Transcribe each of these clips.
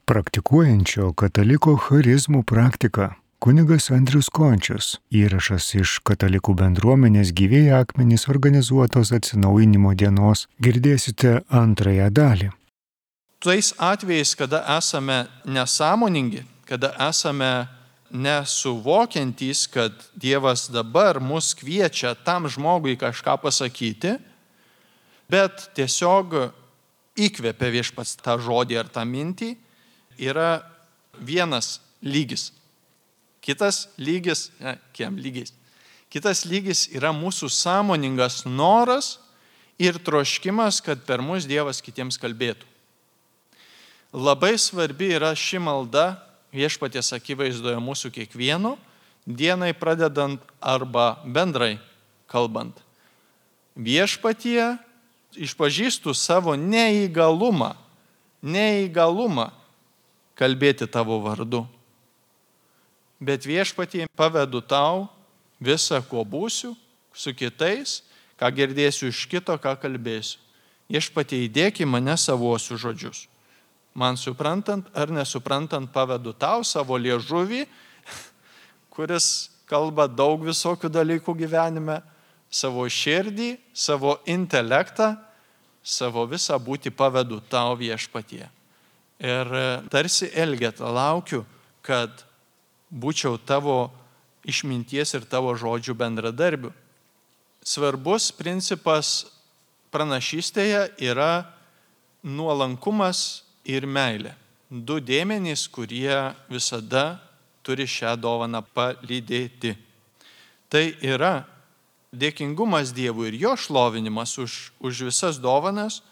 Praktikuojančio kataliko charizmų praktika. Kunigas Andrius Končius. Įrašas iš katalikų bendruomenės Gyvieji akmenys organizuotos atsinaujinimo dienos. Girdėsite antrąją dalį. Tais atvejais, kada esame nesąmoningi, kada esame nesuvokiantys, kad Dievas dabar mus kviečia tam žmogui kažką pasakyti, bet tiesiog įkvepia viešpats tą žodį ar tą mintį, yra vienas lygis. Kitas lygis yra mūsų sąmoningas noras ir troškimas, kad per mus Dievas kitiems kalbėtų. Labai svarbi yra ši malda viešpaties akivaizdoje mūsų kiekvieno, dienai pradedant arba bendrai kalbant. Viešpatie išpažįstu savo neįgalumą kalbėti tavo vardu. Bet viešpatie pavedu tau visą, kuo būsiu, su kitais, ką girdėsiu iš kito, ką kalbėsiu. Viešpatie įdėk į mane savuosius žodžius. Man suprantant ar nesuprantant pavedu tau savo liežuvį, kuris kalba daug visokių dalykų gyvenime, savo širdį, savo intelektą, savo visą būtį pavedu tau viešpatie. Ir tarsi Elgeta laukiu, kad būčiau tavo išminties ir tavo žodžių bendradarbių. Svarbus principas pranašystėje yra nuolankumas ir meilė. Du dėmenys, kurie visada turi šią dovaną palydėti. Tai yra dėkingumas Dievui ir jo šlovinimas už visas dovanas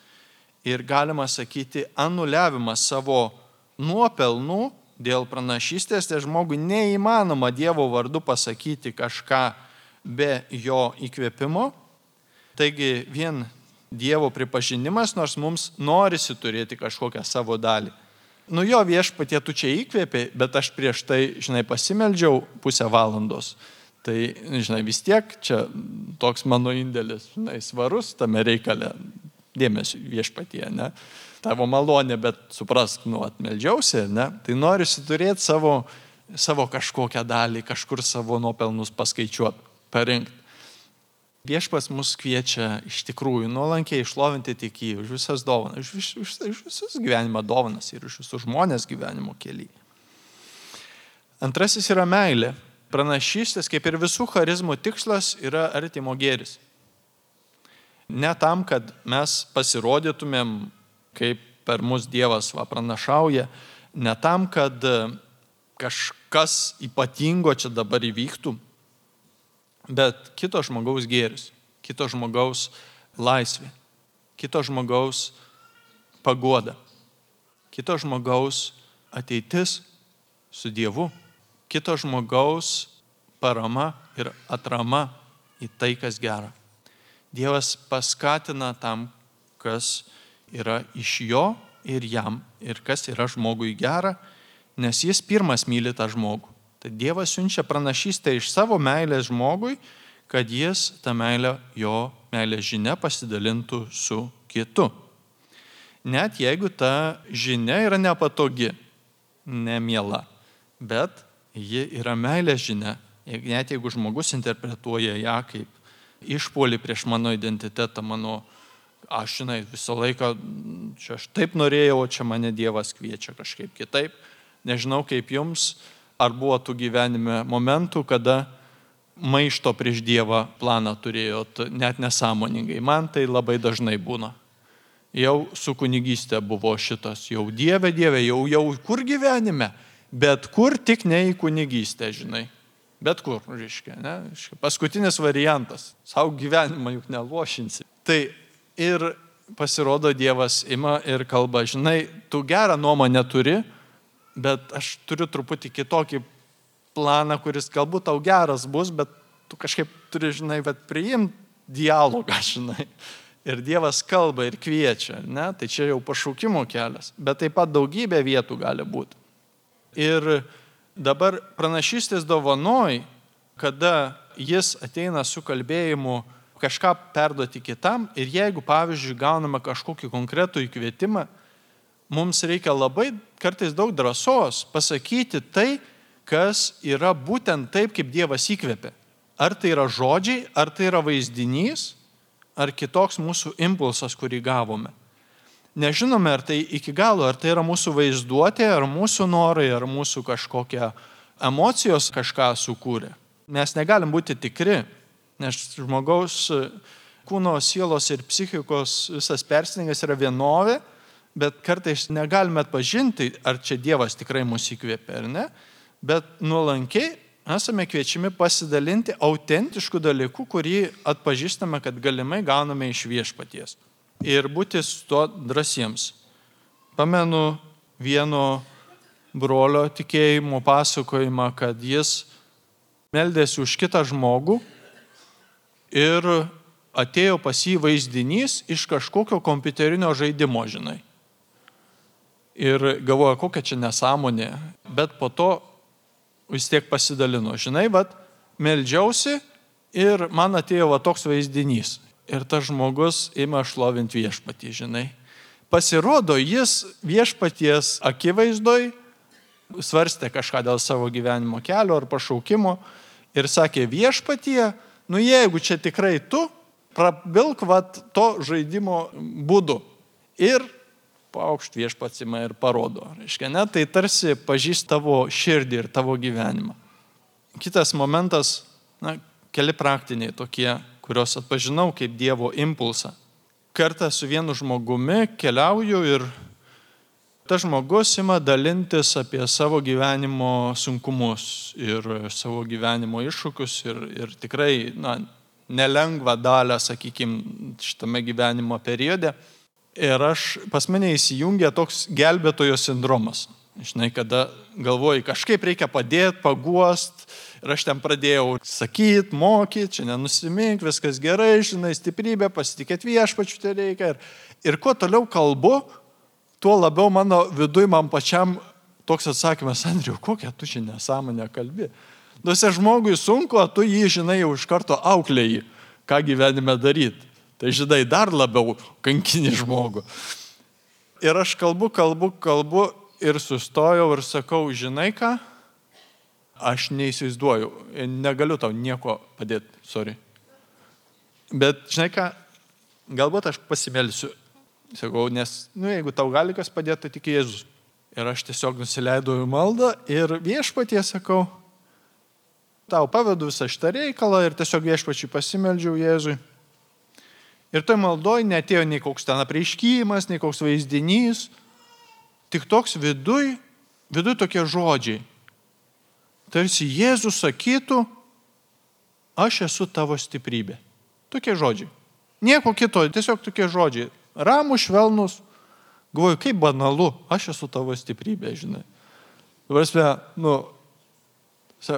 ir galima sakyti anuliavimas savo nuopelnų dėl pranašystės, tai žmogui neįmanoma Dievo vardu pasakyti kažką be jo įkvėpimo. Taigi vien Dievo pripažinimas, nors mums norisi turėti kažkokią savo dalį. Jo viešpatie, tu čia įkvėpė, bet aš prieš tai, pasimeldžiau pusę valandos. Tai, vis tiek čia toks mano indėlis, svarus tame reikale, dėmesio viešpatie, ne? Tavo malonė, bet suprask, atmeldžiausi, ne? Tai norisi turėti savo kažkokią dalį, kažkur savo nuopelnus paskaičiuoti, parinkti. Viešpats mus kviečia iš tikrųjų nuolankiai išlovinti tik jį už visas dovanas, už visus gyvenimo dovanas ir už visus žmonės gyvenimo kelyje. Antrasis yra meilė. Pranašystės, kaip ir visų charizmų tikslas, yra artimo gėris. Ne tam, kad mes pasirodytumėm, kaip per mus Dievas pranašauja, ne tam, kad kažkas ypatingo čia dabar įvyktų, bet kito žmogaus gėris, kito žmogaus laisvė, kito žmogaus paguoda, kito žmogaus ateitis su Dievu, kito žmogaus parama ir atrama į tai, kas gera. Dievas paskatina tam, kas yra iš jo ir jam, ir kas yra žmogui gera, nes jis pirmas myli tą žmogų. Tai Dievas siunčia pranašystę iš savo meilės žmogui, kad jis tą meilę, jo meilės žinia pasidalintų su kitu. Net jeigu ta žinia yra nepatogi, nemiela, bet ji yra meilės žinia, net jeigu žmogus interpretuoja ją kaip išpuolį prieš mano identitetą, aš visą laiką, čia aš taip norėjau, o čia mane Dievas kviečia kažkaip kitaip. Nežinau kaip jums, ar buvo tų gyvenime momentų, kada maišto prieš Dievą planą turėjot net nesąmoningai. Man tai labai dažnai būna. Jau su kunigystė buvo šitas, jau Dieve, jau kur gyvenime, bet kur tik ne į kunigystę, Bet kur, ne? Paskutinis variantas. Sau gyvenimą juk nelošinsi. Tai ir pasirodo Dievas ima ir kalba, tu gerą nuomonę turi, bet aš turiu truputį kitokį planą, kuris galbūt tau geras bus, bet tu kažkaip turi, priimti dialogą, Ir Dievas kalba ir kviečia, ne? Tai čia jau pašaukimo kelias, bet taip pat daugybė vietų gali būti. Ir dabar pranašystės dovanoj, kada jis ateina su kalbėjimu kažką perduoti kitam ir jeigu, pavyzdžiui, gauname kažkokį konkretų įkvietimą, mums reikia labai kartais daug drąsos pasakyti tai, kas yra būtent taip, kaip Dievas įkvėpė. Ar tai yra žodžiai, ar tai yra vaizdinys, ar kitoks mūsų impulsas, kurį gavome. Nežinome, ar tai iki galo, ar tai yra mūsų vaizduotė, ar mūsų norai, ar mūsų kažkokia emocijos kažką sukūrė. Mes negalim būti tikri, nes žmogaus kūno, sielos ir psichikos visas persidengimas yra vienovė, bet kartais negalime atpažinti, ar čia Dievas tikrai mus įkvėpė ar ne, bet nuolankiai esame kviečiami pasidalinti autentiškų dalykų, kurį atpažįstame, kad galimai gauname iš Viešpaties. Ir būti su to drąsiems. Pamenu vieno brolio tikėjimo pasakojimą, kad jis meldėsi už kitą žmogų ir atėjo pas jį vaizdinys iš kažkokio kompiuterinio žaidimo, žinai. Ir galvoja, kokia čia nesąmonė, bet po to vis tiek pasidalino. Žinai, meldžiausi ir man atėjo toks vaizdinys. Ir tas žmogus ima šlovinti Viešpatį, žinai. Pasirodo, jis Viešpaties akivaizdoj svarstė kažką dėl savo gyvenimo kelio ar pašaukimo ir sakė, Viešpatie, jeigu čia tikrai tu, prabilk to žaidimo būdu. Ir paukšt Viešpats ima ir parodo. Reiškia, ne, tai tarsi pažįst tavo širdį ir tavo gyvenimą. Kitas momentas, keli praktiniai tokie, kuriuos atpažinau kaip Dievo impulsą. Kartą su vienu žmogumi keliauju ir tas žmogus ima dalintis apie savo gyvenimo sunkumus ir savo gyvenimo iššūkius ir tikrai nelengvą dalę, sakykime, šitame gyvenimo periode. Ir pas mane įsijungia toks gelbėtojo sindromas. Žinai, kada galvoji, kažkaip reikia padėti, paguost. Ir aš ten pradėjau sakyti, mokyti, čia nenusimink, viskas gerai, žinai, stiprybė, pasitikėti Viešpačiu tai reikia. Ir kuo toliau kalbu, tuo labiau mano viduj man pačiam toks atsakymas, Andriau, kokią tu čia nesąmonę kalbi. Duose žmogui sunku, o tu jį, žinai, jau iš karto auklėji, ką gyvenime daryti. Tai, žinai, dar labiau kankini žmogų. Ir aš kalbu ir sustojau ir sakau, žinai ką, aš neįsivaizduoju, negaliu tau nieko padėti, sorry. Bet, žinai ką, galbūt aš pasimelsiu. Sakau, nes, jeigu tau gali kas padėti, tai tik Jėzus. Ir aš tiesiog nusileidau į maldą ir Viešpatie sakau, tau pavedu visą šitą reikalą ir tiesiog Viešpačiui pasimeldžiau Jėzui. Ir toj maldoj neatėjo nei koks ten apreiškimas, nei koks vaizdinys, tik toks viduj tokie žodžiai. Tarsi Jėzus sakytų, aš esu tavo stiprybė. Tokie žodžiai. Nieko kito, tiesiog tokie žodžiai. Ramų, švelnus. Galvoju, kaip banalu, aš esu tavo stiprybė, žinai. Varsime,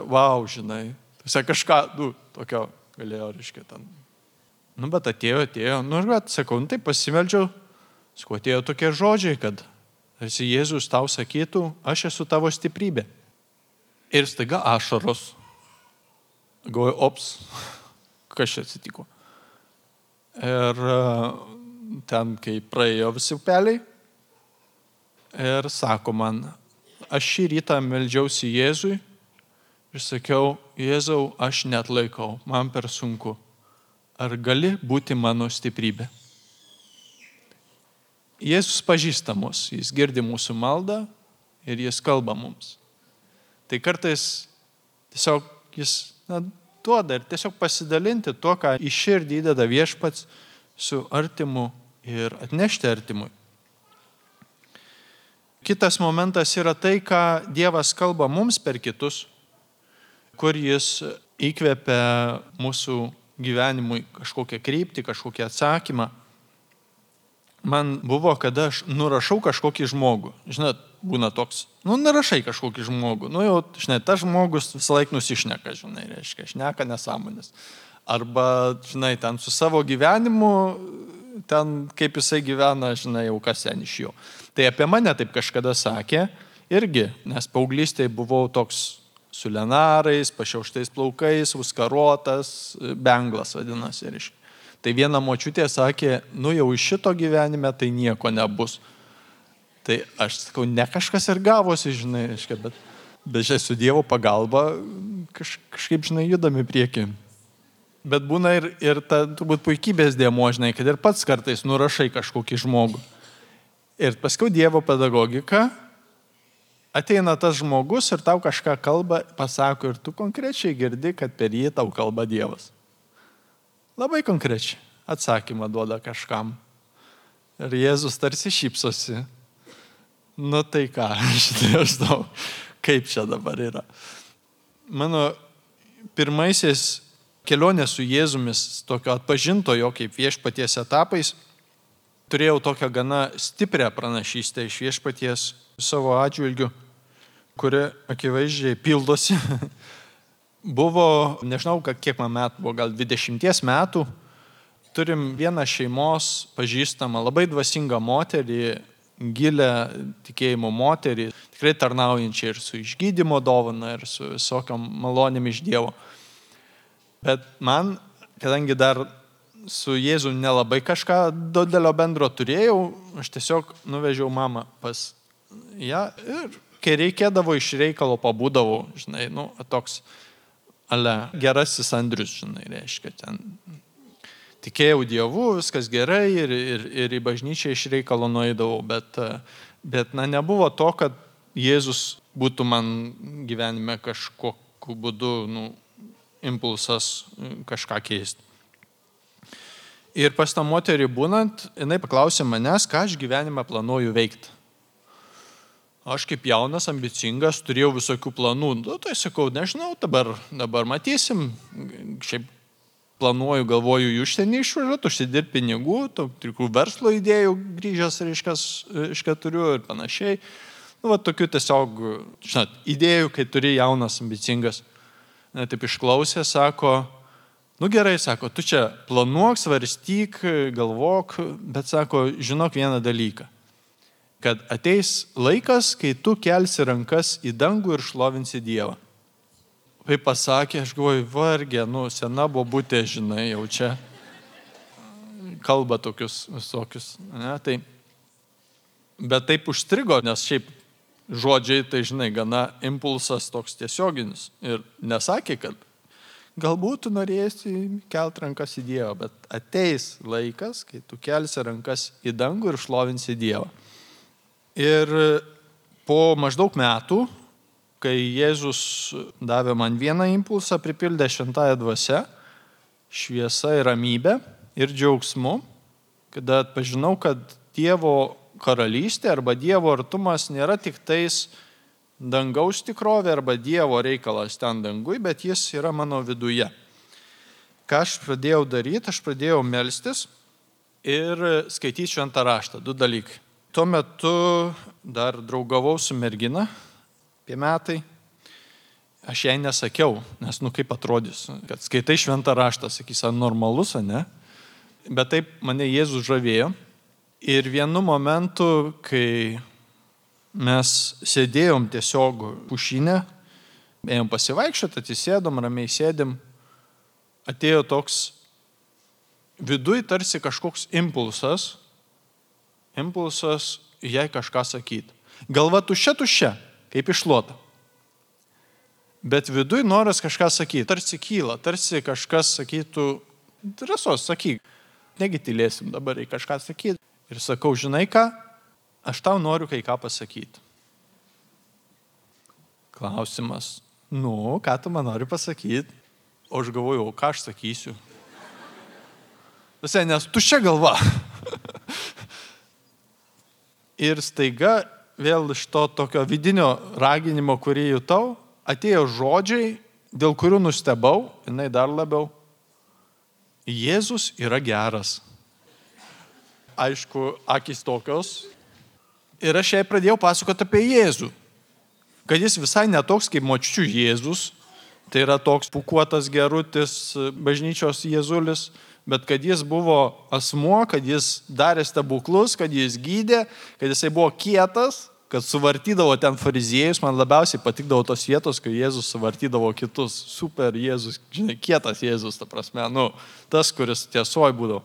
wow, žinai. Kažką, tokio galėjo, reiškia, ten. Bet atėjo, sakau, tai pasimeldžiau, sakau, atėjo tokie žodžiai, kad tarsi Jėzus tau sakytų, aš esu tavo stiprybė. Ir staiga ašaros. Galvoju, ops, kas čia atsitiko. Ir ten, kai praėjo visi upeliai, ir sako man, aš šį rytą meldžiausi Jėzui ir sakiau, Jėzau, aš neatlaikau, man per sunku. Ar gali būti mano stiprybė? Jėzus pažįsta mus, jis girdi mūsų maldą ir jis kalba mums. Tai kartais tiesiog jis duoda ir tiesiog pasidalinti tuo, ką į širdį įdeda Viešpats su artimu ir atnešti artimui. Kitas momentas yra tai, ką Dievas kalba mums per kitus, kur jis įkvepia mūsų gyvenimui kažkokią kryptį, kažkokį atsakymą. Man buvo, kada aš nurašau kažkokį žmogų. Žinot, būna toks, nurašai kažkokį žmogų. Jau, žinai, tas žmogus visą laiką nusišneka, žinai, reiškia, šneka nesąmonės. Arba, žinai, ten su savo gyvenimu, ten kaip jisai gyvena, žinai, jau kas ten iš jo. Tai apie mane taip kažkada sakė irgi, nes paauglystėje buvau toks su lenarais, pašiauštais plaukais, užkarotas, benglas vadinasi. Tai viena močiutė sakė, jau iš šito gyvenime tai nieko nebus. Tai aš sakau, ne kažkas ir gavosi, žinai, reiškia, bet su Dievo pagalba kažkaip, žinai, judami prieki. Bet būna ir ta turbūt puikybės dėmuo, žinai, kad ir pats kartais nurašai kažkokį žmogų. Ir paskui Dievo pedagogika, ateina tas žmogus ir tau kažką kalba, pasako ir tu konkrečiai girdi, kad per jį tau kalba Dievas. Labai konkrečiai atsakymą duoda kažkam. Ir Jėzus tarsi šypsosi. Nu tai ką, aš žinau, kaip čia dabar yra. Mano pirmaisiais kelionės su Jėzumis, tokio atpažintojo kaip viešpaties etapais, turėjau tokią gana stiprią pranašystę iš viešpaties savo atžvilgiu, kuri akivaizdžiai pildosi. Buvo, nežinau, kiek man metų, buvo gal 20 metų, turim vieną šeimos pažįstamą, labai dvasingą moterį, gilę tikėjimo moterį, tikrai tarnaujančią ir su išgydymo dovana, ir su visokiam malonėm iš Dievo. Bet man, kadangi dar su Jėzu nelabai kažką didelio bendro turėjau, aš tiesiog nuvežiau mamą pas ją ir kai reikėdavo iš reikalo pabūdavau, žinai, toks gerasis Andrius, žinai, reiškia, ten tikėjau Dievu, viskas gerai ir į bažnyčią iš reikalo nueidavau, bet nebuvo to, kad Jėzus būtų man gyvenime kažkokiu būdu, impulsas kažką keisti. Ir pas tą moterį būnant, jinai paklausė manęs, ką aš gyvenime planuoju veikti. Aš kaip jaunas, ambicingas, turėjau visokių planų. Tai sakau, nežinau, dabar matysim. Šiaip planuoju, galvoju, į užsienį išvažiuoti, užsidirbti pinigų, tikrų verslo idėjų grįžęs, reiškia, turiu ir panašiai. Tokių tiesiog, žinot, idėjų, kai turi jaunas, ambicingas. Taip išklausė, sako, gerai, sako, tu čia planuok, svarstyk, galvok, bet sako, žinok vieną dalyką, kad ateis laikas, kai tu kelsi rankas į dangų ir šlovinsi Dievą. Tai pasakė, aš galvoju, vargė, sena bobutė, žinai, jau čia kalba tokius visokius, ne, tai, bet taip užstrigo, nes šiaip žodžiai, tai žinai, gana impulsas toks tiesioginis. Ir nesakė, kad galbūt tu norėsi kelt rankas į Dievą, bet ateis laikas, kai tu kelsi rankas į dangų ir šlovinsi Dievą. Ir po maždaug metų, kai Jėzus davė man vieną impulsą, pripildė šventąją dvasią, šviesa ir ramybė ir džiaugsmu, kada atpažinau, kad Dievo karalystė arba Dievo artumas nėra tik tais dangaus tikrovė arba Dievo reikalas ten dangui, bet jis yra mano viduje. Ką aš pradėjau daryti, aš pradėjau melstis ir skaityti šventą raštą. 2 dalykai. Tuo metu dar draugavau su mergina, apie metai. Aš jai nesakiau, nes kaip atrodys, kad skaitai šventą raštą, sakys, ar normalus, ar ne? Bet taip mane Jėzus žavėjo. Ir vienu momentu, kai mes sėdėjom tiesiog pušinę, ėjom pasivaikščioti, atsisėdom, ramiai sėdėm, atėjo toks viduj tarsi kažkoks impulsas jai kažką sakyti. Galva tuščia, kaip iššluota. Bet viduj noras kažką sakyti, tarsi kyla, tarsi kažkas sakytų, drąsos sakyk, negi tylėsim dabar į kažką sakyti. Ir sakau, žinai ką, aš tau noriu kai ką pasakyti. Klausimas, ką tu man nori pasakyti? O aš galvoju, ką aš sakysiu? Visai, nes tuščia galva. Ir staiga vėl iš to tokio vidinio raginimo, kurį jutau, atėjo žodžiai, dėl kurių nustebau, jinai dar labiau. Jėzus yra geras. Aišku, akys tokios. Ir aš jai pradėjau pasakoti apie Jėzų. Kad jis visai netoks kaip močiučių Jėzus. Tai yra toks pūkuotas gerutis bažnyčios Jėzulis. Bet kad jis buvo asmuo, kad jis darė stebuklus, kad jis gydė, kad jisai buvo kietas, kad suvartydavo ten fariziejus. Man labiausiai patikdavo tos vietos, kai Jėzus suvartydavo kitus. Super Jėzus, žinai, kietas Jėzus, ta prasme, tas, kuris tiesoj būdavo.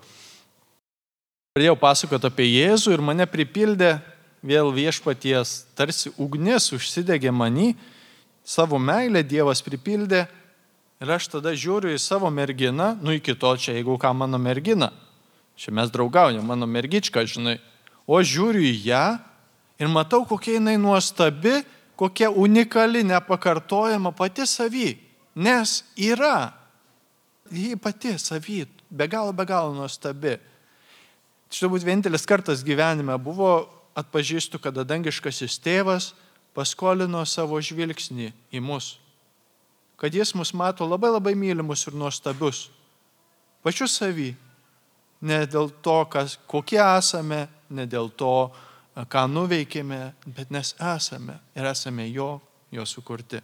Pradėjau pasakoti apie Jėzų ir mane pripildė vėl viešpaties tarsi ugnis užsidegė manį, savo meilę Dievas pripildė ir aš tada žiūriu į savo merginą, iki to čia, jeigu ką mano mergina, čia mes draugaujam, mano mergička, žinai, o aš žiūriu į ją ir matau, kokia jinai nuostabi, kokia unikali, nepakartojama pati savy, nes yra, ji pati savy, be galo nuostabi. Čia turbūt vienintelis kartas gyvenime buvo, atpažįstu, kada dangiškasis tėvas paskolino savo žvilgsnį į mus. Kad jis mus mato labai mylimus ir nuostabius. Pačius savy. Ne dėl to, kokie esame, ne dėl to, ką nuveikėme, bet nes esame ir esame jo sukurti.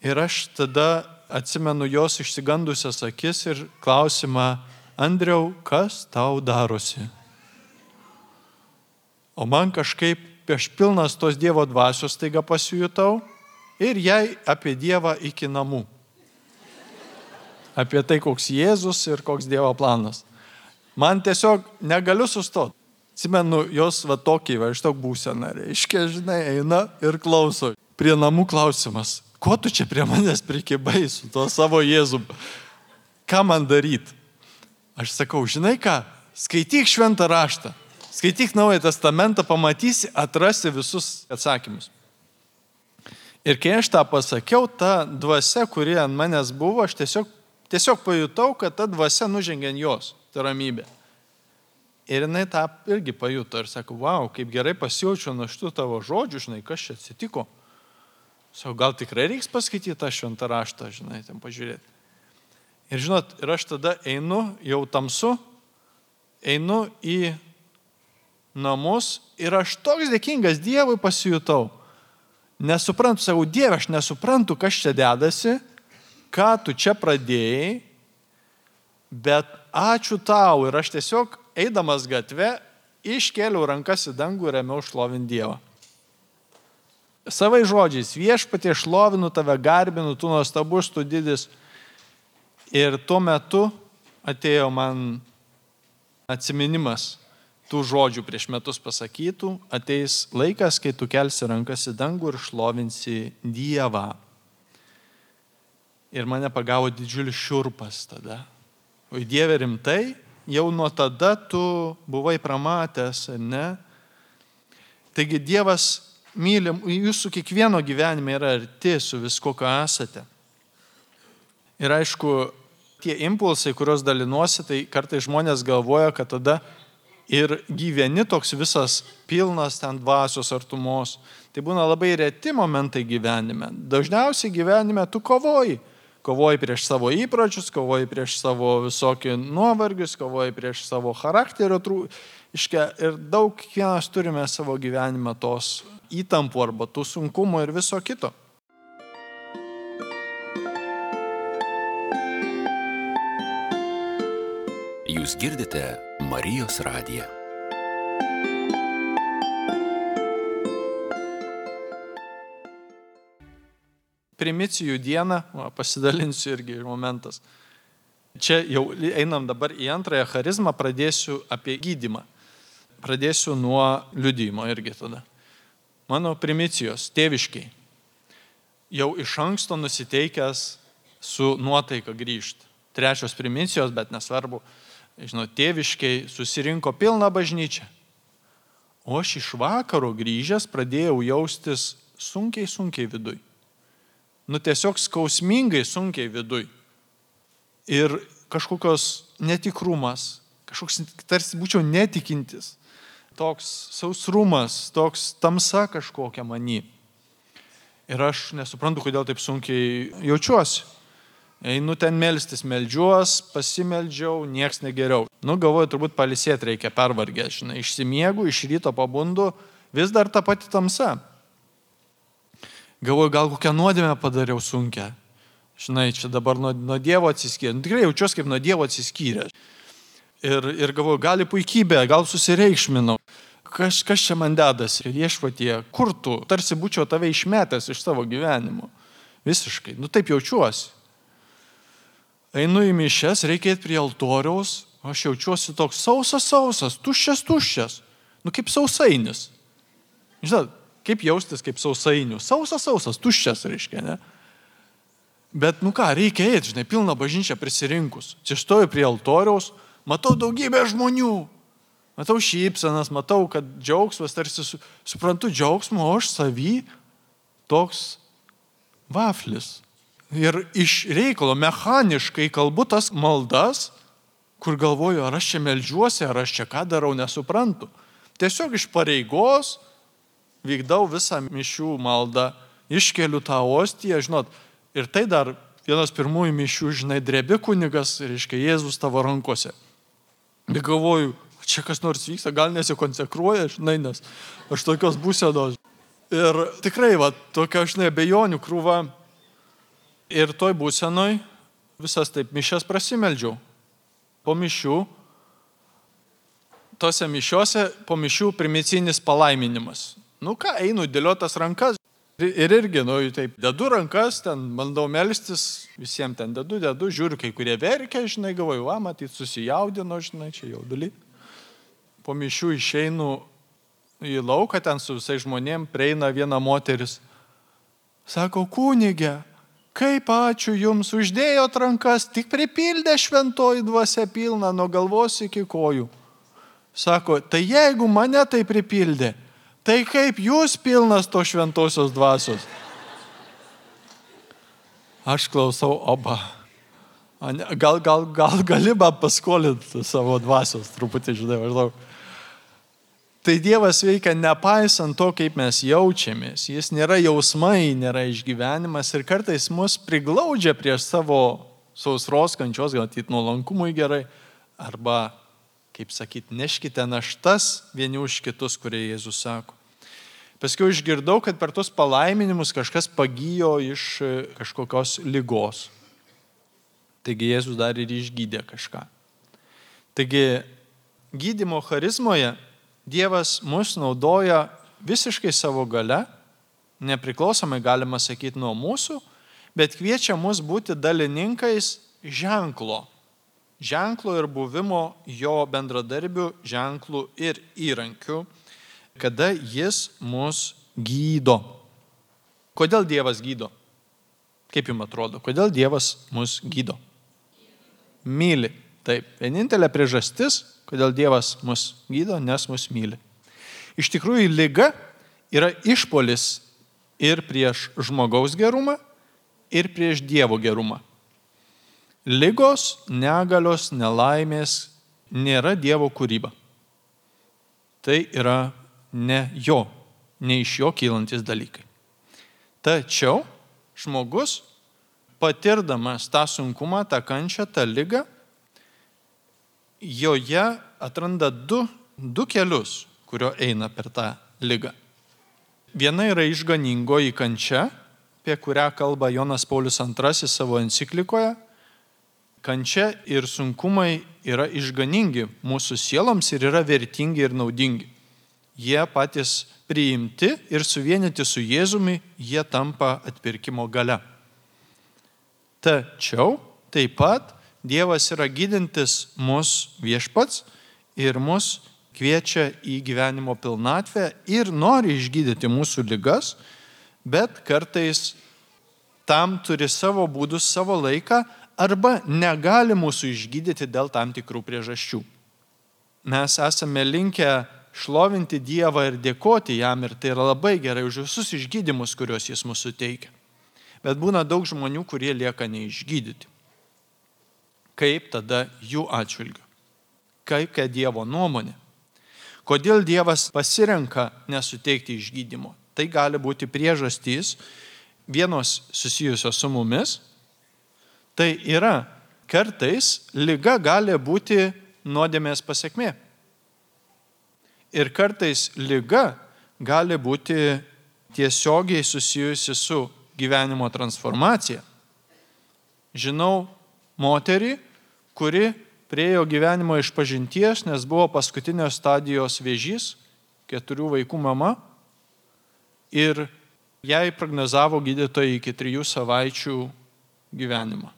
Ir aš tada atsimenu jos išsigandusias akis ir klausimą, Andriau, kas tau darosi? O man kažkaip aš pilnas tos Dievo dvasios taiga pasijutau ir jai apie Dievą iki namų. Apie tai, koks Jėzus ir koks Dievo planas. Man tiesiog negaliu sustoti. Atsimenu jos tokį, iš tok būseną, reiškia, žinai, eina ir klauso. Prie namų klausimas, ko tu čia prie manęs prikibai su tuo savo Jėzum? Ką man daryti? Aš sakau, žinai ką, skaityk šventą raštą, skaityk Naują testamentą, pamatysi, atrasi visus atsakymus. Ir kai aš tą pasakiau, ta dvasia, kuri ant manęs buvo, aš tiesiog pajutau, kad ta dvasia nužengė ant jos, ta ramybė. Ir jinai tą irgi pajuto ir sako, wow, kaip gerai pasijaučiu nuo šitų tavo žodžių, žinai, kas čia atsitiko. Sako, gal tikrai reiks paskaityti tą šventą raštą, žinai, ten pažiūrėti. Ir žinot, ir aš tada einu, jau tamsu, einu į namus ir aš toks dėkingas Dievui pasijutau. Nesuprantu, sakau, Dieve, aš nesuprantu, kas čia dedasi, ką tu čia pradėjai, bet ačiū tau. Ir aš tiesiog, eidamas gatve, iškėliau rankas į dangų ir ėmiau šlovinti Dievą. Savai žodžiais, viešpatie, šlovinu tave, garbinu, tu nuostabus, tu didis. Ir tuo metu atėjo man atsiminimas tų žodžių prieš metus pasakytų, ateis laikas, kai tu kelsi rankas į dangų ir šlovinsi Dievą. Ir mane pagavo didžiulis šiurpas tada. O Dieve, rimtai, jau nuo tada tu buvai pramatęs, ar ne? Taigi Dievas myli, jūsų kiekvieno gyvenime yra arti su visko, ką esate. Ir aišku, tie impulsai, kuriuos dalinuosi, tai kartais žmonės galvoja, kad tada ir gyveni toks visas pilnas ten dvasios artumos. Tai būna labai reti momentai gyvenime. Dažniausiai gyvenime tu kovoji. Kovoji prieš savo įpročius, kovoji prieš savo visokį nuovargius, kovoji prieš savo charakterio trūkumą. Ir daug kiekvienas turime savo gyvenime tos įtampų arba tų sunkumų ir viso kito. Jūs girdite Marijos radiją. Primicijų dieną, pasidalinsiu irgi momentas. Čia jau einam dabar į antrąją charizmą, pradėsiu apie gydymą. Pradėsiu nuo liudijimo irgi tada. Mano primicijos, tėviškiai. Jau iš anksto nusiteikęs su nuotaika grįžti. 3 primicijos, bet nesvarbu. Žinau, tėviškiai susirinko pilną bažnyčią. O aš iš vakaro grįžęs pradėjau jaustis sunkiai viduj. Tiesiog skausmingai sunkiai viduj. Ir kažkokios netikrumas, kažkoks tarsi būčiau netikintis. Toks sausrumas, toks tamsa kažkokia many. Ir aš nesuprantu, kodėl taip sunkiai jaučiuosi. Einu ten melstis, meldžiuos, pasimeldžiau, nieks negeriau. Galvoju, turbūt pailsėti reikia, pervargęs, žinai, išsimiegu, iš ryto pabundu, vis dar ta pati tamsa. Galvoju, gal kokią nuodėmę padariau sunkią. Žinai, čia dabar nuo Dievo atsiskyrė. Tikrai jaučiuosi kaip nuo Dievo atsiskyrė. Ir galvoju, gali puikybė, gal susireikšminau. Kas čia man dedasi? Viešpatie, kur tu? Tarsi būčiau tave išmetęs iš savo gyvenimo. Visiškai. Taip jaučiuosi. Einu į mišias, reikia eiti prie altoriaus, aš jaučiuosi toks sausas, tuščias. kaip sausainis. Žinot, kaip jaustis kaip sausainių. Sausas, tuščias reiškia, ne? Bet, reikia eiti, žinai, pilną bažnyčią prisirinkus. Čia stoju prie altoriaus, matau daugybę žmonių. Matau šypsenas, matau, kad džiaugsmas, tarsi suprantu džiaugsmo, o aš savy toks vaflis. Ir iš reikalo mechaniškai kalbu tas maldas, kur galvoju, ar aš čia meldžiuosi, ar aš čia ką darau, nesuprantu. Tiesiog iš pareigos vykdau visą mišių maldą, iškeliu tą ostiją, žinot, ir tai dar vienas pirmųjų mišių, žinai, drebi kunigas, reiškia, Jėzus tavo rankose. Ir galvoju, čia kas nors vyksta, gal nesikonsekruoja, žinai, nes aš tokios būsenos. Ir tikrai, tokia, žinai, abejonių krūva. Ir toj būsenoj visas taip mišias prasimeldžiau. Po mišių, tose mišiose, po mišių primicinis palaiminimas. Einu dėliotas rankas. Ir irgi, taip, dedu rankas, ten bandau melstis, visiems ten dedu, žiūriu, kai kurie verkia, žinai, galvoju, matyt, susijaudino, žinai, čia jaudulį. Po mišių išeinu į lauką, ten su visais žmonėm prieina viena moteris. Sako, kunige, kaip ačiū jums, uždėjot rankas, tik pripildė šventoji dvasia pilna nuo galvos iki kojų. Sako, tai jeigu mane tai pripildė, tai kaip jūs pilnas to šventosios dvasios? Aš klausau, gal gali man paskolinti savo dvasios, truputį, žinai, maždaug. Tai Dievas veikia nepaisant to, kaip mes jaučiamės. Jis nėra jausmai, nėra išgyvenimas ir kartais mus priglaudžia prieš savo sausros kančios, gal ateit nuolankumui gerai, arba kaip sakyti, neškite naštas vieni už kitus, kurie Jėzus sako. Paskui išgirdau, kad per tos palaiminimus kažkas pagijo iš kažkokios ligos. Taigi Jėzus dar ir išgydė kažką. Taigi gydymo charizmoje Dievas mus naudoja visiškai savo gale, nepriklausomai galima sakyti nuo mūsų, bet kviečia mus būti dalininkais ženklo ir buvimo jo bendradarbių ženklų ir įrankių, kada jis mus gydo. Kodėl Dievas gydo? Kaip jums atrodo, kodėl Dievas mus gydo? Myli. Taip, vienintelė priežastis, kodėl Dievas mus gydo, nes mus myli. Iš tikrųjų, liga yra išpolis ir prieš žmogaus gerumą, ir prieš Dievo gerumą. Ligos, negalios, nelaimės nėra Dievo kūryba. Tai yra ne iš jo kylantis dalykai. Tačiau žmogus, patirdamas tą sunkumą, tą kančią, tą ligą, joje atranda du kelius, kurio eina per tą ligą. Viena yra išganingoji kančia, apie kurią kalba Jonas Paulius II savo enciklikoje. Kančia ir sunkumai yra išganingi mūsų sieloms ir yra vertingi ir naudingi. Jie patys priimti ir suvienyti su Jėzumi, jie tampa atpirkimo galia. Tačiau taip pat Dievas yra gydintis mus viešpats ir mus kviečia į gyvenimo pilnatvę ir nori išgydyti mūsų ligas, bet kartais tam turi savo būdus, savo laiką, arba negali mūsų išgydyti dėl tam tikrų priežasčių. Mes esame linkę šlovinti Dievą ir dėkoti jam, ir tai yra labai gerai už visus išgydymus, kuriuos jis mūsų teikia. Bet būna daug žmonių, kurie lieka neišgydyti. Kaip tada jų atžvilgiu? Kokia Dievo nuomonė? Kodėl Dievas pasirenka nesuteikti išgydymo? Tai gali būti priežastys, vienos susijusios su mumis. Tai yra, kartais liga gali būti nuodėmės pasekmė. Ir kartais liga gali būti tiesiogiai susijusi su gyvenimo transformacija. Žinau moterį, kuri priėjo gyvenimo išpažinties, nes buvo paskutinės stadijos vėžys, 4 vaikų mama, ir jai prognozavo gydytojai iki 3 savaičių gyvenimą.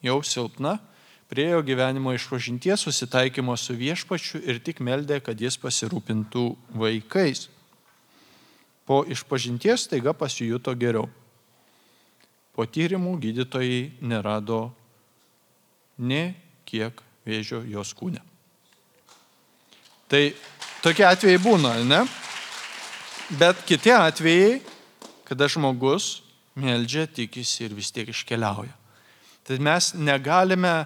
Jau silpna, Priejo gyvenimo išpažinties, susitaikymo su viešpačiu ir tik meldė, kad jis pasirūpintų vaikais. Po išpažinties staiga pasijuto geriau. Po tyrimų gydytojai nerado nė kiek vėžio jos kūne. Tai tokie atvejai būna, ne? Bet kiti atvejai, kada žmogus meldžia, tikisi ir vis tiek iškeliauja. Tai mes negalime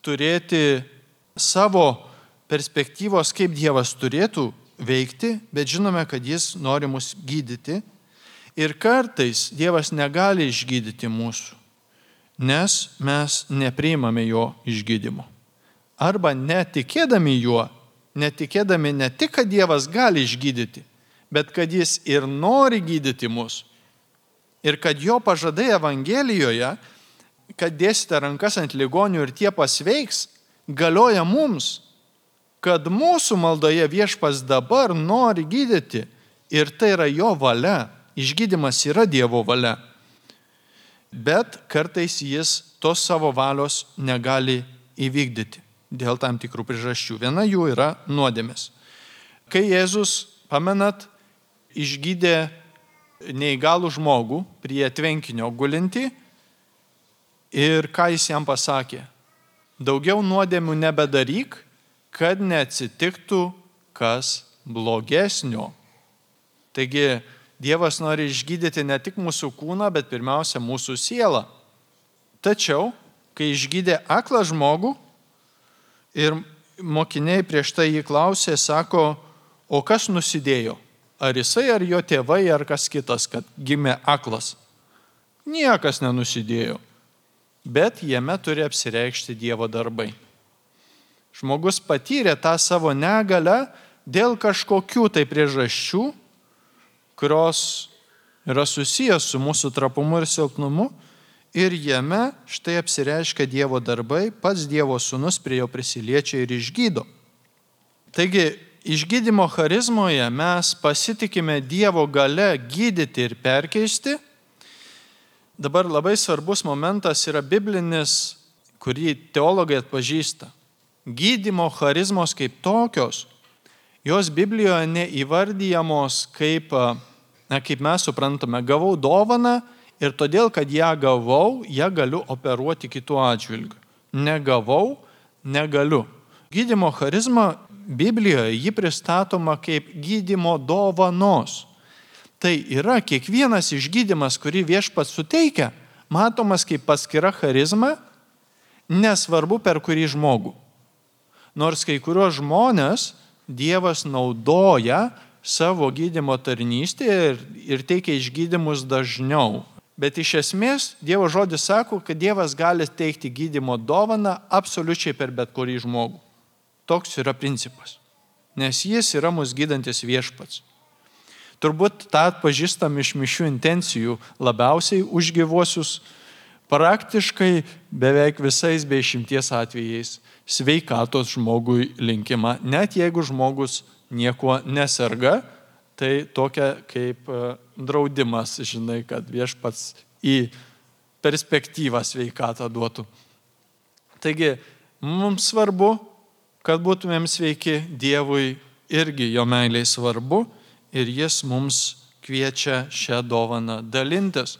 turėti savo perspektyvos, kaip Dievas turėtų veikti, bet žinome, kad jis nori mus gydyti. Ir kartais Dievas negali išgydyti mūsų, nes mes nepriimame jo išgydymo. Arba netikėdami juo, netikėdami ne tik, kad Dievas gali išgydyti, bet kad jis ir nori gydyti mus. Ir kad jo pažadai Evangelijoje, kad dėsite rankas ant ligonių ir tie pasveiks, galioja mums, kad mūsų maldoje Viešpats dabar nori gydyti ir tai yra jo valia. Išgydymas yra Dievo valia. Bet kartais jis tos savo valios negali įvykdyti dėl tam tikrų priežasčių. Viena jų yra nuodėmės. Kai Jėzus, pamenat, išgydė neįgalų žmogų prie tvenkinio gulinti ir ką jis jam pasakė? Daugiau nuodėmių nebedaryk, kad neatsitiktų kas blogesnio. Taigi, Dievas nori išgydyti ne tik mūsų kūną, bet pirmiausia mūsų sielą. Tačiau, kai išgydė aklą žmogų ir mokiniai prieš tai jį klausė, sako, o kas nusidėjo? Ar jisai, ar jo tėvai, ar kas kitas, kad gimė aklas? Niekas nenusidėjo, bet jame turi apsireikšti Dievo darbai. Žmogus patyrė tą savo negalę dėl kažkokių tai priežasčių, kurios yra susijęs su mūsų trapumu ir silpnumu, ir jame štai apsireiškia Dievo darbai, pats Dievo sūnus prie jo prisiliečia ir išgydo. Taigi, išgydymo charizmoje mes pasitikime Dievo gale gydyti ir perkeisti. Dabar labai svarbus momentas yra biblinis, kurį teologai atpažįsta. Gydymo charizmos kaip tokios, jos Biblijoje neįvardyjamos kaip mes suprantame, gavau dovaną ir todėl, kad ją gavau, ją galiu operuoti kitų atžvilgių. Negavau, negaliu. Gydymo charizma Biblijoje ji pristatoma kaip gydymo dovanos. Tai yra kiekvienas išgydymas, kurį Viešpats suteikia, matomas kaip paskira charizma, nesvarbu per kurį žmogų. Nors kai kuriuos žmonės Dievas naudoja savo gydymo tarnystėje ir teikia išgydymus dažniau. Bet iš esmės Dievo žodis sako, kad Dievas gali teikti gydymo dovaną absoliučiai per bet kurį žmogų. Toks yra principas. Nes jis yra mus gydantis Viešpats. Turbūt tą atpažįstam iš mišių intencijų labiausiai už gyvuosius, praktiškai beveik visais be išimties atvejais sveikatos žmogui linkima. Net jeigu žmogus nieko neserga, tai tokia kaip draudimas, žinai, kad Viešpats į perspektyvą sveikatą duotų. Taigi, mums svarbu, kad būtumėm sveiki, Dievui irgi jo meiliai svarbu ir jis mums kviečia šią dovaną dalintis.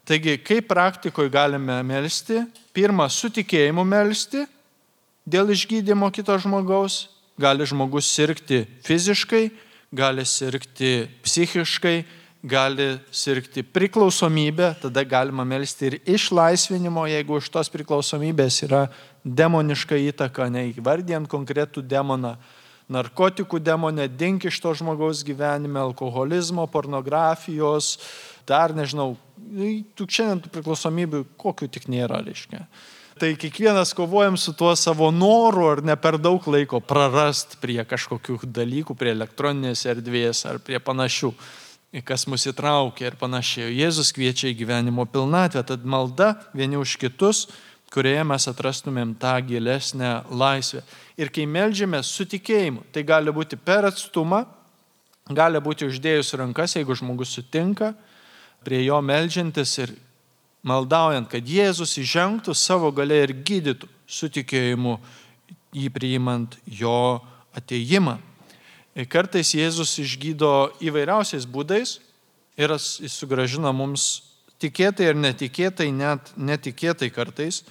Taigi, kaip praktikoje galime melsti? Pirma, su tikėjimu melsti dėl išgydymo kito žmogaus. Gali žmogus sirgti fiziškai, gali sirgti psichiškai, gali sirgti priklausomybę, tada galima melsti ir išlaisvinimo, jeigu už tos priklausomybės yra demoniška įtaka, neįvardijant konkretų demoną, narkotikų demonę, dink iš to žmogaus gyvenime, alkoholizmo, pornografijos, dar nežinau, šiandien tų priklausomybių kokių tik nėra, reiškia. Tai kiekvienas kovojam su tuo savo noru ar ne per daug laiko prarast prie kažkokių dalykų, prie elektroninės erdvės ar prie panašių, kas mus įtraukia ir panašiai. Jėzus kviečia į gyvenimo pilnatvę, tad malda vieni už kitus, kurioje mes atrastumėm tą gilesnę laisvę. Ir kai meldžiame su tikėjimu, tai gali būti per atstumą, gali būti uždėjus rankas, jeigu žmogus sutinka, prie jo meldžiantis ir maldaujant, kad Jėzus įžengtų savo galia ir gydytų su tikėjimu, jį priimant jo atėjimą. Kartais Jėzus išgydo įvairiausiais būdais ir jis sugrąžina mums tikėtai ir netikėtai, net netikėtai kartais.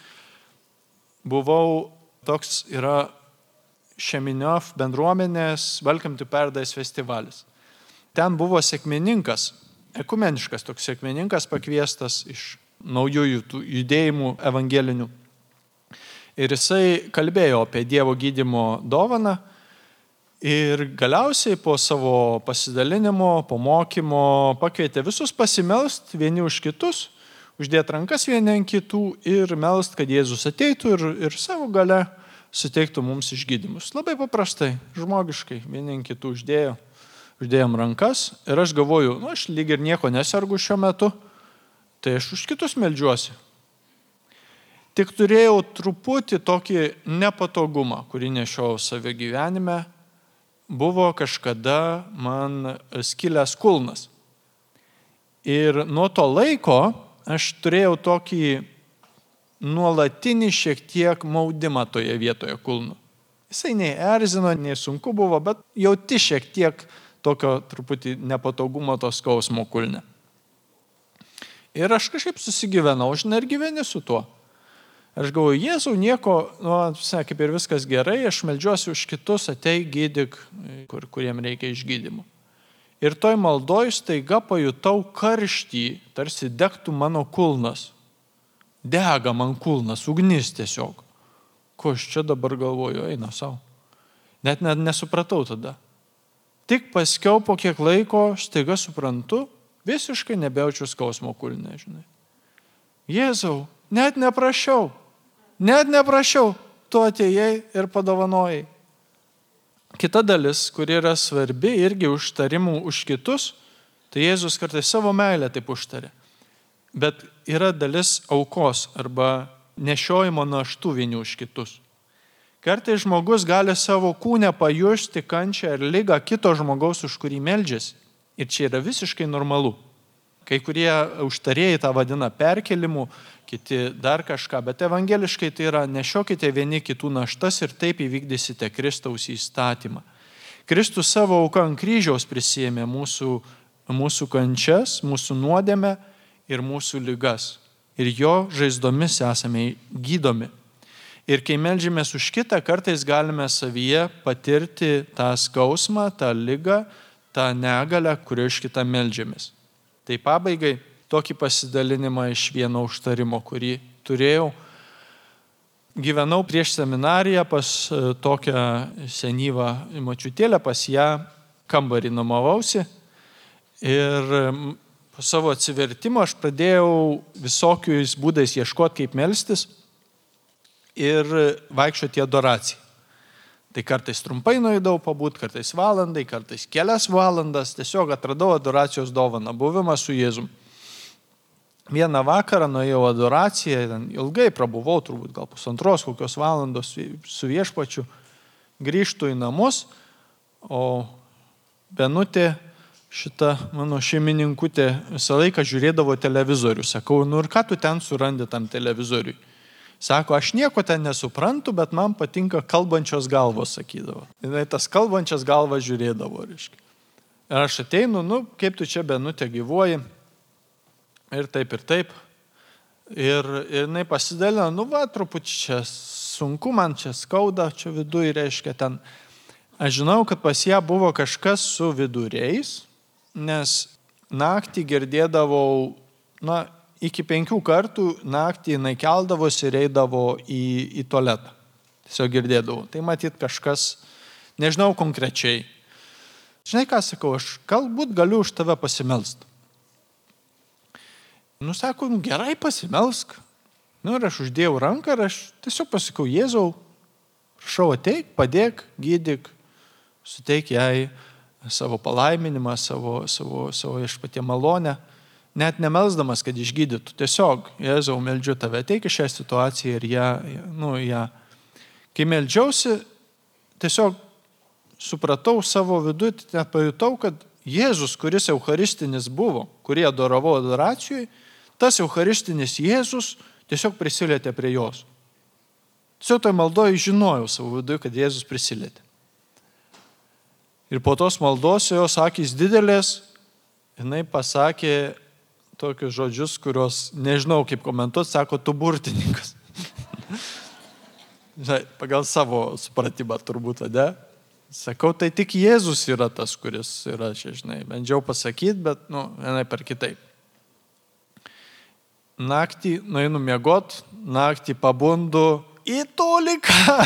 Buvau toks yra Šeminiof bendruomenės Welcome to Paradise festivalis. Ten buvo sekmininkas, ekumeniškas toks sekmininkas pakviestas iš naujųjų tų judėjimų evangelinių. Ir jisai kalbėjo apie Dievo gydymo dovaną ir galiausiai po savo pasidalinimo, po mokymo pakvietė visus pasimelst vieni už kitus, uždėti rankas vieni ant kitų ir melst, kad Jėzus ateitų ir savo gale suteiktų mums išgydymus. Labai paprastai, žmogiškai, vieni ant kitų uždėjom rankas ir aš galvoju, aš lyg ir nieko nesergu šiuo metu, tai aš už kitus meldžiuosi. Tik turėjau truputį tokį nepatogumą, kurį nešiau save gyvenime, buvo kažkada man skilęs kulnas. Ir nuo to laiko aš turėjau tokį nuolatinį šiek tiek maudimą toje vietoje kulnų. Jisai nei erzino, nei sunku buvo, bet jauti šiek tiek tokio truputį nepatogumo to skausmo kulne. Ir aš kažkaip susigyvenau, ir gyveni su tuo. Aš galvoju, Jėzau, nieko, kaip ir viskas gerai, aš meldžiuosi už kitus, ateik gydyk, kuriem reikia išgydymų. Ir toj maldoj staiga pajutau karštį, tarsi degtų mano kulnas. Dega man kulnas, ugnis tiesiog. Ko aš čia dabar galvoju, eina savo. Net nesupratau tada. Tik paskiau po kiek laiko staiga suprantu, visiškai nebejaučiu skausmo kulne, žinai. Jėzau, net neprašiau, tu atėjai ir padovanojai. Kita dalis, kuri yra svarbi irgi užtarimų už kitus, tai Jėzus kartais savo meilę taip užtarė. Bet yra dalis aukos arba nešiojimo naštų vieni už kitus. Kartais žmogus gali savo kūne pajusti kančią ir ligą kito žmogaus, už kurį meldžiasi. Ir čia yra visiškai normalu. Kai kurie užtarėjai tą vadina perkelimu, kiti dar kažką, bet evangeliškai tai yra nešiokite vieni kitų naštas ir taip įvykdysite Kristaus įstatymą. Kristus savo auką ant kryžiaus prisiėmė mūsų kančias, mūsų nuodėmę ir mūsų ligas. Ir jo žaizdomis esame gydomi. Ir kai meldžiamės už kitą, kartais galime savyje patirti tą skausmą, tą ligą, tą negalę, kurio iš kitą meldžiamės. Tai pabaigai tokį pasidalinimą iš vieno užtarimo, kurį turėjau. Gyvenau prieš seminariją pas tokią senyvą močiutėlę, pas ją kambarį nuomavausi. Ir po savo atsivertimo aš pradėjau visokiais būdais ieškoti, kaip melstis ir vaikščioti į adoraciją. Tai kartais trumpai nueidavau pabūt, kartais valandai, kartais kelias valandas, tiesiog atradau adoracijos dovaną, buvimą su Jėzum. Vieną vakarą nuėjau adoraciją, ilgai prabuvau, turbūt gal 1,5 kokios valandos su viešpačiu, grįžtu į namus, o Benutė, šita mano šeimininkutė, visą laiką žiūrėdavo televizorių. Sakau, ir ką tu ten surandi tam televizoriui? Sako, aš nieko ten nesuprantu, bet man patinka kalbančios galvos, sakydavo. Ir tas kalbančias galvas žiūrėdavo, reiškia. Ir aš ateinu, kaip tu čia Benutė gyvuoji, ir taip, ir taip. Ir jinai pasidalino, truputį čia sunku, man čia skauda, čia viduje, reiškia ten. Aš žinau, kad pas ją buvo kažkas su viduriais, nes naktį girdėdavau, iki 5 kartų naktį jinai keldavosi ir eidavo į tualetą. Tiesiog girdėdavau. Tai matyt kažkas, nežinau konkrečiai. Žinai ką sakau, aš galbūt galiu už tave pasimelst. Sako, gerai pasimelsk. Ir aš uždėjau ranką ir aš tiesiog pasakau, Jėzau, prašau ateik, padėk, gydyk, suteik jai savo palaiminimą, savo viešpatie malonę. Net nemelsdamas, kad išgydytų. Tiesiog, Jėzau, meldžiu tave, ateik į šią situaciją ir ją. Kai meldžiausi, tiesiog supratau savo viduje, net pajutau, kad Jėzus, kuris eucharistinis buvo, kurį adoravau adoracijoje, tas eucharistinis Jėzus tiesiog prisilietė prie jos. Tiesiog toj maldoje žinojau savo viduje, kad Jėzus prisilietė. Ir po tos maldos jos akys didelės, jinai pasakė tokius žodžius, kuriuos nežinau kaip komentuoti, sako, tu burtininkas. Pagal savo supratimą turbūt, ne? Sakau, tai tik Jėzus yra tas, kuris yra čia, žinai. Bandžiau pasakyti, bet, vienai per kitaip. Naktį nueinu miegot, naktį pabundu, į toliką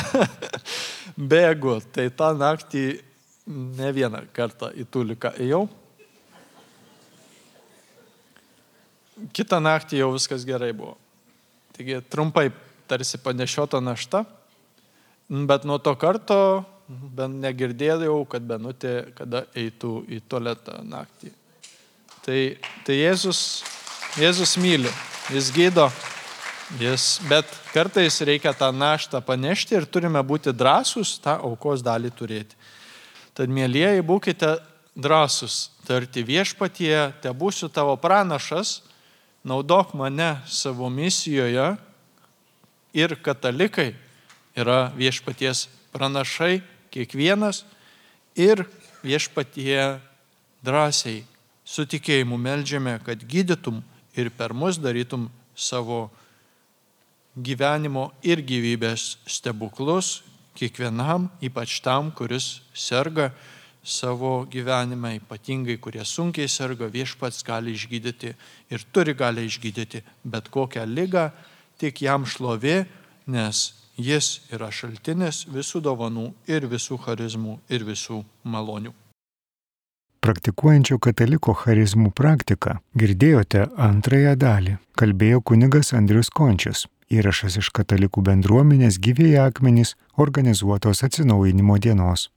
bėgu. Tai tą naktį ne vieną kartą į toliką ėjau. Kitą naktį jau viskas gerai buvo. Taigi trumpai tarsi panešiota našta, bet nuo to karto bent negirdėjau, kad Benutė kada eitų į tualetą naktį. Tai Jėzus myli, jis gydo, bet kartais reikia tą naštą panešti ir turime būti drąsūs tą aukos dalį turėti. Tad, mielieji, būkite drąsūs, tarti viešpatie, te būsiu tavo pranašas, naudok mane savo misijoje ir katalikai yra viešpaties pranašai, kiekvienas, ir viešpatie drąsiai su tikėjimu meldžiame, kad gydytum ir per mus darytum savo gyvenimo ir gyvybės stebuklus kiekvienam, ypač tam, kuris serga savo gyvenime, ypatingai kurie sunkiai serga, viešpats gali išgydyti ir turi gali išgydyti bet kokią ligą, tik jam šlovė, nes jis yra šaltinis visų dovanų ir visų charizmų ir visų malonių. Praktikuojančio kataliko charizmų praktiką girdėjote antrąją dalį. Kalbėjo kunigas Andrius Končius. Įrašas iš Katalikų bendruomenės Gyvieji akmenys organizuotos Atsinaujinimo dienos.